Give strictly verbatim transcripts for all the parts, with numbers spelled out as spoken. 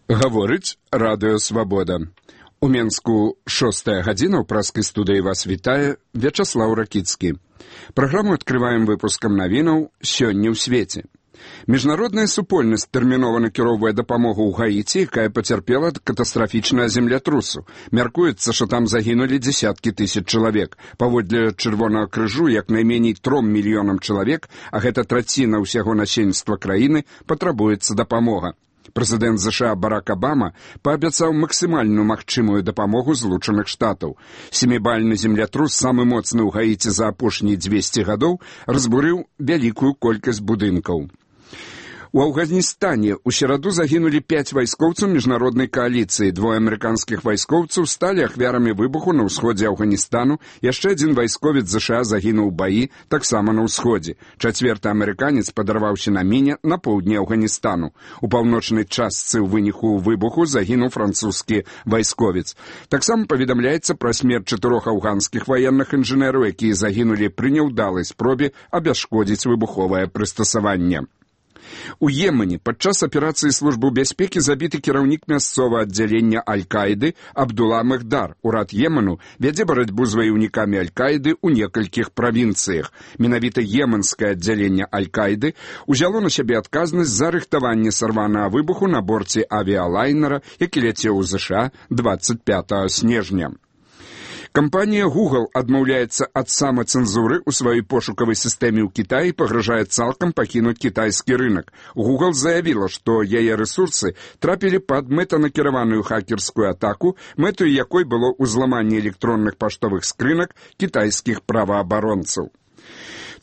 Гаворыць Радыё Свабода. У Менску шостая гадзіна, ў праскай студыі вас вітае Вячаслаў Ракіцкі. Праграму адкрываем выпускам навінаў «Сёння ў свеце». Міжнародная супольнасць тэрмінова накіроўвае дапамогу ў Гаіці, якая пацярпела ад катастрафічнага землятрусу. Мяркуецца, што там загінулі дзесяткі тысяч чалавек. Паводле Чырвонага крыжу, як найменей тром мільёнам чалавек, а гэта траціна ўсяго насельніцтва краіны, патрабуецца дапамога. Прэзідэнт ЗША Барак Абама паабяцаў максімальную магчымую дапамогу Злучаных Штатаў. Сямібальны землятрус, самы моцны ў Гаіці за апошнія дзвесце гадоў, разбурыў вялікую колькасць будынкаў. У Афганістане ў сераду загінулі пяць вайскоўцаў міжнароднай кааліцыі. Двое амерыканскіх вайскоўцаў сталі ахвярамі выбуху на ўсходзе Афганістану. Яшчэ адзін вайсковец ЗША загінуў у баі таксама на ўсходзе. Чацвёрты амерыканец падарваўся на міне на поўдні Афганістану. У паўночнай частцы ў выніку выбуху загінуў французскі вайсковец. Таксама паведамляецца пра смерць чатырох афганскіх ваенных інжынераў, якія загінулі пры няўдалай спробе абясшкодзіць выбуховае прыстасаванне. У Йемене падчас аперацыі службы бяспекі забіты кіраўнік мясцовага аддзялення Аль-Каіды Абдулла Мехдар. Урад Йемену вядзе барацьбу з ваяўнікамі Аль-Каіды ў некалькіх правінцыях. Менавіта йеменскае аддзяленне Аль-Каіды узяло на сябе адказнасць за рыхтаванне сарванага выбуху на борце авіялайнера, які ляцеў у ЗША дваццаць пятага снежня. Кампанія Google адмаўляецца ад самацэнзуры ў сваёй пошукавай сістэме ў Кітаі і пагражае цалкам пакінуць кітайскі рынак. Google заявіла, што яе рэсурсы трапілі пад мэтанакіраваную хакерскую атаку, мэтаю якой было ўзламанне электронных паштовых скрынак кітайскіх праваабаронцаў.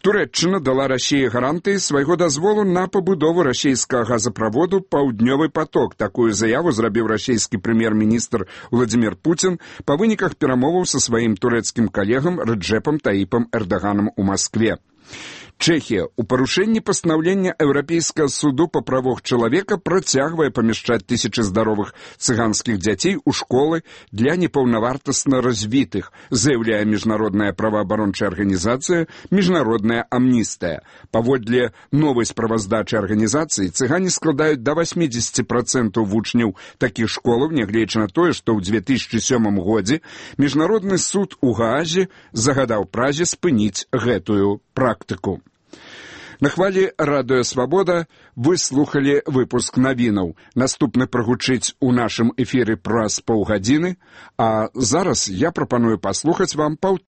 Турэччына дала Расіі гарантыі свайго дазволу на пабудову расійскага газаправоду «Паўднёвы поток». Такую заяву зрабіў расійскі прэм'ер-міністр Владзімір Пуцін па выніках перамоваў са сваім турэцкім калегам Рэджэпам Таіпам Эрдаганам у Маскве. Чэхія у парушэнні пастанаўлення Еўрапейскага суду па правах чалавека працягвае памяшчаць тысячы здаровых цыганскіх дзяцей у школы для непаўнавартасна развітых, заяўляе міжнародная праваабарончая арганізацыя «Міжнародная амністыя». Паводле новай справаздачы арганізацыі цыгане складаюць да васьмідзесяці працэнтаў вучняў такіх школаў, нягледзячы на тое, што ў дзве тысячы сёмым годзе міжнародны суд у Гаазе загадаў Празе спыніць гэтую практыку. На хвалі Радыё Свабода вы слухалі выпуск навінаў. Наступны прагучыць у нашым эфіры праз паўгадзіны, а зараз я прапаную паслухаць вам паўтора